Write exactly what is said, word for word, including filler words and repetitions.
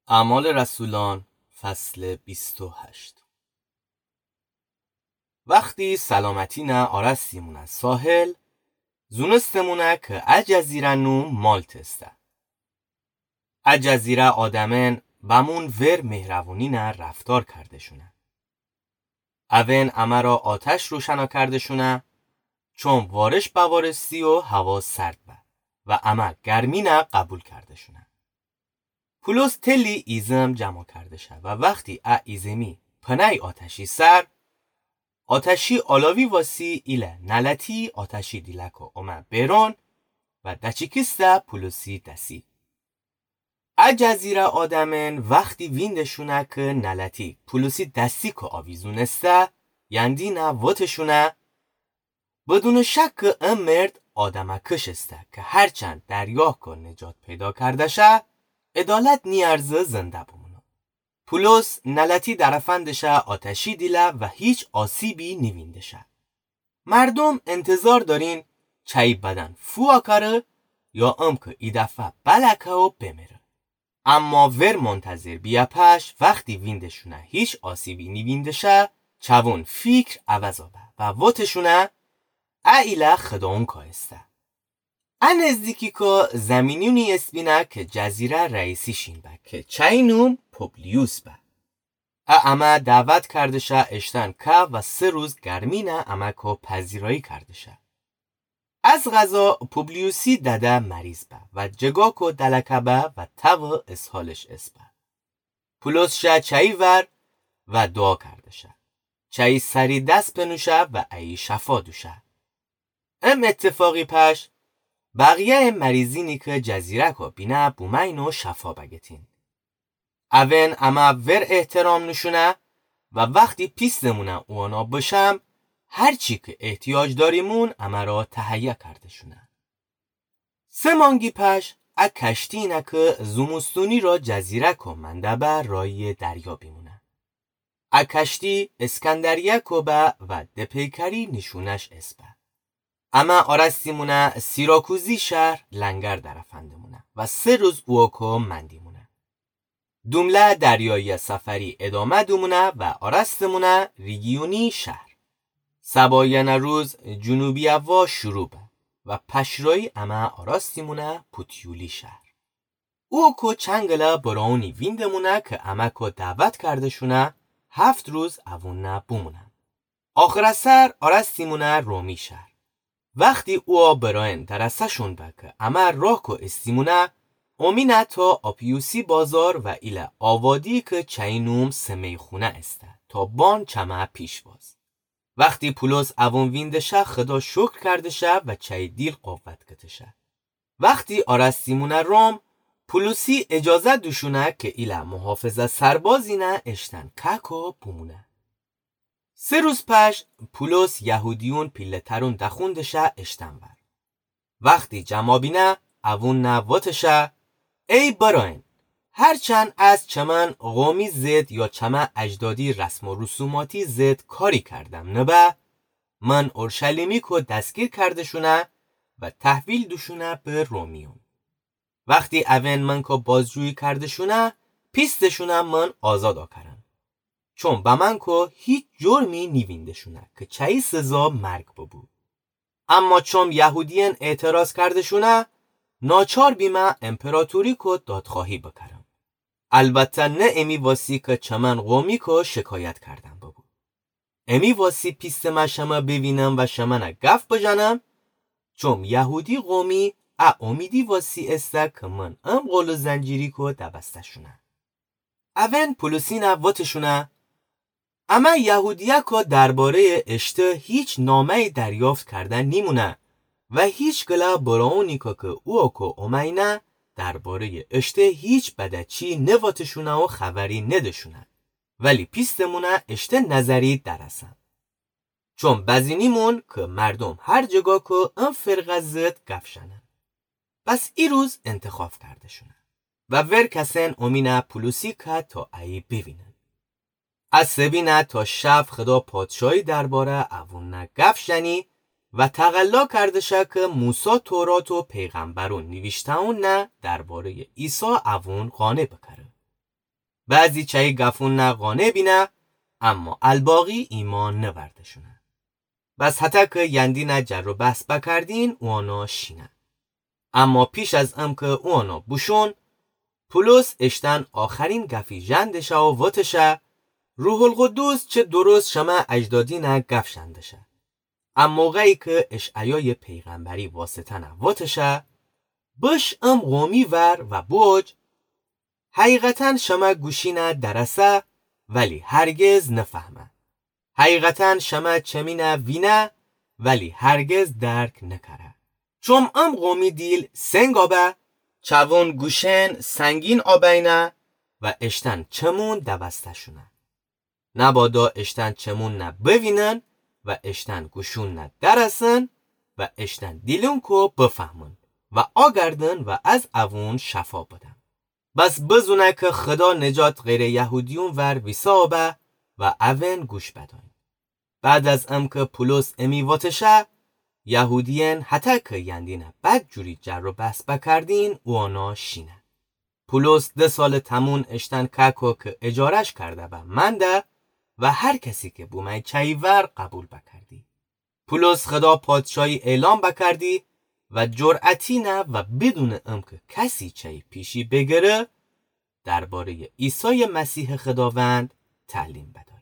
اعمال رسولان، فصل بیست و هشت. وختی سلامتی نه آرستیمونه ساحل، زونستمونه که ا جزیره نوم مالت استه. ا جزیره آدمأن بمون ور مهربونی نه رفتار کرده‌شونه. اون امه را آتش روشنا کرده‌شونه، چون وارش بوارستی و هوا سرد به و امه گرمی نه قبول کرده‌شونه. پولس تلی ایزم جمع کرده شه و وختی ا ایزمی پنای آتشی سر، آتشی آلاوی واسی ایله نلتی آتشی دیلکو اومه بیرون و دچیکیسته پولسی دسی. ا جزیره آدمأن وختی وینده‌شونه که نلتی پولسی دستی که آویزون استه، یندینه وتشونه، بدون شک ا مرد آدمکش استه که هرچند دریا که نجات پیدا کرده شه، عدالت نیارزه زنده بمونه. پولس نلتی درفندشه آتشی دیله و هیچ آسیبی نیوینده شه. مردوم انتظار دارین چایی بدن فو آکاره یا ام که ای دفعه بلکه و بمره. اما ور منتظر بیه پش وختی وینده‌شونه هیچ آسیبی نیوینده شه، چوون فیکر عوض به و وتشونه، ا ایله خداونکا استه. ا نزدیکی که زمینیونی اسبینه که جزیره رئیسی شین به که چایی نوم پوبلیوس به. ا امه دعوت کرده شه اشتن که و سه روز گرمی نه امه که پذیرایی کرده شه. از قضا پوبلیوسی دده مریض به و جگاکو دلکه به و تب اسهالش اسبه. پولس شه چایی ور و دعا کرده شه. چایی سری دس پنوشه و ایی شفا دوشه. ام اتفاقی پش بقیه مریضینی که جزیره‌کو بینه بومین و شفا بگتین. اون امه ور احترام نوشونه و وختی پیستمونه اونا بشم، هرچی که احتیاج داریمون امه را تهیه کرده‌شونه. سه مانگی پش ا کشتی نه که زوموستونی را جزیره‌کو منده به رایی دریا بیمونه. ا کشتی اسکندریه‌کو به و دپیکری نیشونش اسبه. امه آرستیمونه سیراکوزی شهر لنگر درفندمونه و سه روز اوکو مندیمونه. دومله دریایی سفری ادامه دومونه و آرستمونه ریگیونی شهر. سبایانه روز جنوبی هوا شروع به و پشرایی امه آرستیمونه پوتیولی شهر. اوکو چنگله براونی ویندمونه که امه که دعوت کرده‌شونه هفت روز اوونه بومونه. آخر سر آرستیمونه رومی شهر. وختی او برایان درسه‌شون به که امه راه که استیمونه، اومینه تا آپیوسی بازار و ایله آوادی که چایی نوم سمیخونه استه تا بان چمه پیش باز. وختی پولس اوون وینده شه خدا شکر کرده شه و چایی دیل قوت کته شه. وختی آرستیمونه روم، پولسی اجازه دوشونه که ایله محافظه سربازینه اشتن که‌کو بومونه. سه روز پش پولس یهودیون پیله‌ترون دخونده شه اشتن ور. وختی جمع بینه اوونه وتشه، ای براین، هرچند از چمن قومی ضد یا چمه اجدادی رسم و رسوماتی ضد کاری کردم نبه، من اورشلیمی که دستگیر کرده‌شونه و تحویل دوشونه به رومیون. وختی اوین من که بازجویی کرده‌شونه، پیسته‌شونه من آزاد آکرم. چون به من که هیچ جرمی نیوینده‌شونه که چایی سزا مرگ ببو. اما چون یهودیان اعتراض کرده‌شونه، ناچار بیمه امپراتوری که دادخواهی بکرم. البته نه امی واسی که چمن قومی که شکایت کردن ببو. امی واسی پیستمه شمه بیوینم و شمنه گف بجنم، چون یهودی قومی ا امیدی واسی استه که من ام قل و زنجیری که دبسته‌شونه. اوین پولسینه وتشونه، امه یهودیه که درباره‌ی اشته هیچ نامه‌ای دریافت کرده نیمونه و هیچ گله براونی که که او که اومینه درباره‌ی اشته هیچ بده چی نوتشونه و خبری نده‌شونه. ولی پیستمونه اشته نظری درسم. چون بزینیمون که مردم هر جگا که ان فرقه ضد گف شنن. پس ای روز انتخاب کرده‌شونه و ور کسن اومینه پولسی که تا ایی بیوینن. ا سبینه تا شب خدا پادشاهی درباره اوون نه گف شنی و تقلا کرده شه که موسی تورات و پیغمبرون نیویشته‌اون نه درباره‌ی عیسی اوون قانع بکره. بعضی چأیی گفونَ قانع بینه، اما الباقی ایمأن نورده‌شونه. بس هتأ کی یندینَ جر و بحث بکردین، اوأنَ شینه. اما پیش از امکه اوأنَ بوشون، پولس اشتأن آخرین گفی ژندشه و وتشه: روح‌القدس چه درست شمه اجدادینَ گف ژندشه، ا موقعی کی اشعیایٚ پیغمبری واسطه‌نَ وتشه: بش ام قومی ور و بوج، حقیقتاً شمه گوشینَ درسه، ولی هرگز نفهمه. حقیقتاً شمه چمینَ وینه، ولی هرگز درک نکره. چوم ام قومی دیل سنگ آبه، چوون گوشئن سنگین آبینه و اشتأن چمون دوسته‌شونه. نبادا اشتأن چمونَ بوینن و اشتأن گوشونَ درسن و اشتأن دیلون کو بفهمن و آگردن و از اوون شفا بدن. بس بزونه کی خدا نجات غیرٚ یهودیون ور ویسه آبه و اون گوش بدأین. بعد از امکه پولس امی وتشه، یهودیأن هتأ کی یندینَ بدجوری جر و بحث بکردین، اوأنَ شینه. پولس ده سالٚ تموم اشتأن کهکو کی اجاره‌ش کرده‌به منده و هر کسی کی بومه چأیی ور قبول بکردی. پولس خدا پادشاهی اعلام بکردی و جرأتینَ و بدونٚ امکه کسی چأیی پیشی بگیره، درباره‌یٚ عیسایٚ مسیحٚ خداوند تعلیم بدأ.